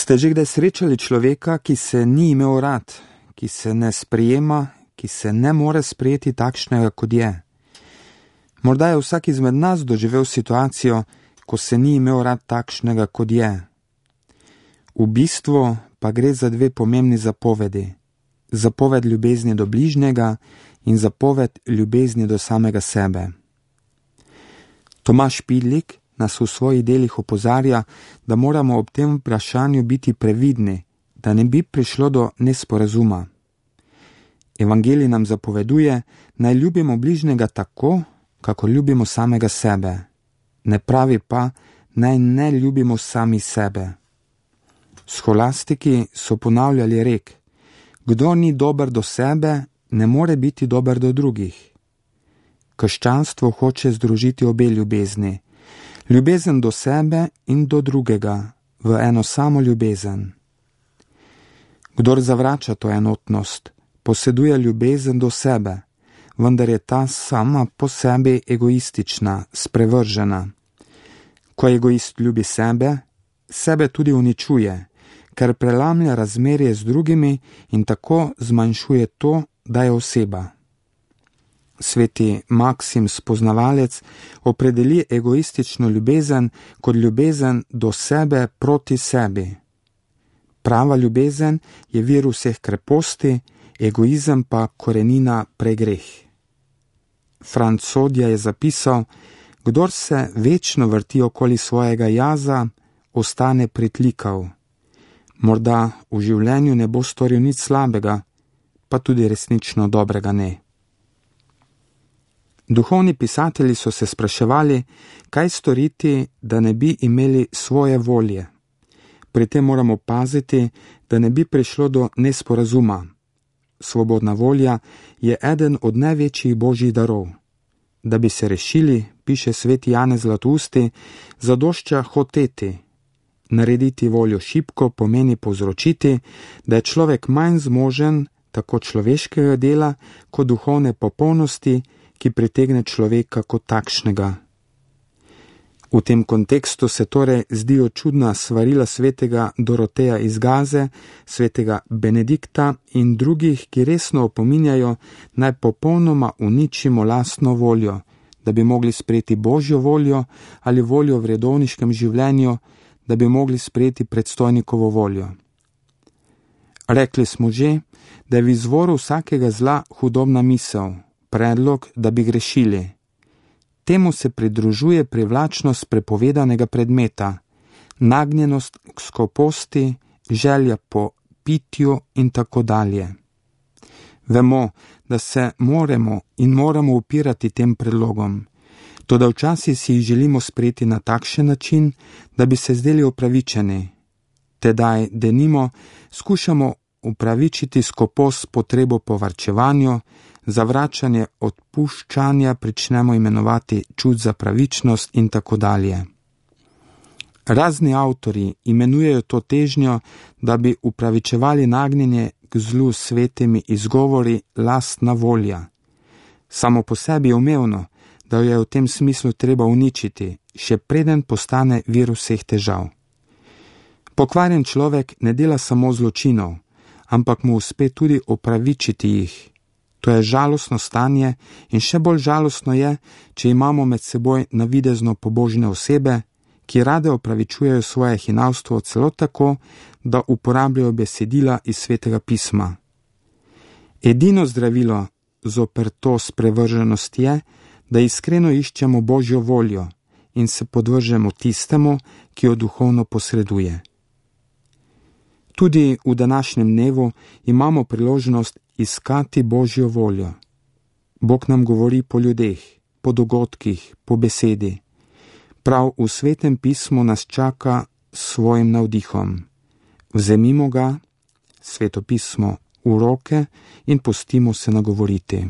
Ste že kdaj srečali človeka, ki se ni imel rad, ki se ne sprejema, ki se ne more sprejeti takšnega, kot je? Morda je vsak izmed nas doživel situacijo, ko se ni imel rad takšnega, kot je. V bistvu pa gre za dve pomembni zapovedi. Zapoved ljubezni do bližnjega in zapoved ljubezni do samega sebe. Tomaž Pidlik nas v svojih delih opozarja, da moramo ob tem vprašanju biti previdni, da ne bi prišlo do nesporazuma. Evangelij nam zapoveduje, naj ljubimo bližnjega tako, kako ljubimo samega sebe. Ne pravi pa, naj ne ljubimo sami sebe. Scholastiki so ponavljali rek: kdor ni dober do sebe, ne more biti dober do drugih. Krščanstvo hoče združiti obe ljubezni, ljubezen do sebe in do drugega, v eno samo ljubezen. Kdor zavrača to enotnost, poseduje ljubezen do sebe, vendar je ta sama po sebi egoistična, sprevržena. Ko egoist ljubi sebe, sebe tudi uničuje, ker prelamlja razmerje z drugimi in tako zmanjšuje to, da je oseba. Sveti Maksim Spoznavalec opredeli egoistično ljubezen kot ljubezen do sebe proti sebi. Prava ljubezen je vir vseh kreposti, egoizem pa korenina pregreh. Franc Sodja je zapisal: kdor se večno vrti okoli svojega jaza, ostane pritlikav. Morda v življenju ne bo storil nič slabega, pa tudi resnično dobrega ne. Duhovni pisatelji so se spraševali, kaj storiti, da ne bi imeli svoje volje. Pri tem moramo paziti, da ne bi prišlo do nesporazuma. Svobodna volja je eden od največjih božjih darov. Da bi se rešili, piše sveti Janez Zlatousti, zadošča hoteti. Narediti voljo šibko pomeni povzročiti, da je človek manj zmožen tako človeškega dela kot duhovne popolnosti, ki pritegne človeka kot takšnega. V tem kontekstu se torej zdijo čudna svarila svetega Doroteja iz Gaze, svetega Benedikta in drugih, ki resno opominjajo, naj popolnoma uničimo lastno voljo, da bi mogli sprejeti božjo voljo ali voljo v redovniškem življenju, da bi mogli sprejeti predstojnikovo voljo. Rekli smo že, da je v izvoru vsakega zla hudobna misel, predlog, da bi grešili. Temu se pridružuje privlačnost prepovedanega predmeta, nagnjenost k skoposti, želja po pitju in tako dalje. Vemo, da se moramo upirati tem predlogom, toda včasih si jih želimo sprejeti na takšen način, da bi se zdeli upravičeni. Tedaj, denimo, skušamo upravičiti skopost potrebo po varčevanju, zavračanje odpuščanja pričnemo imenovati čut za pravičnost in tako dalje. Razni avtorji imenujejo to težnjo, da bi upravičevali nagnjenje k zlu s svetimi izgovori lastna volja. Samo po sebi je umevno, da jo je v tem smislu treba uničiti, še preden postane vir vseh težav. Pokvarjen človek ne dela samo zločinov, ampak mu uspe tudi opravičiti jih. To je žalostno stanje in še bolj žalostno je, če imamo med seboj navidezno pobožne osebe, ki rade opravičujejo svoje hinavstvo celo tako, da uporabljajo besedila iz Svetega pisma. Edino zdravilo zoper to sprevrženost je, da iskreno iščemo božjo voljo in se podvržemo tistemu, ki jo duhovno posreduje. Tudi v današnjem dnevu imamo priložnost iskati božjo voljo. Bog nam govori po ljudeh, po dogodkih, po besedi. Prav v Svetem pismu nas čaka s svojim navdihom. Vzemimo ga, Sveto pismo, v roke in pustimo se nagovoriti.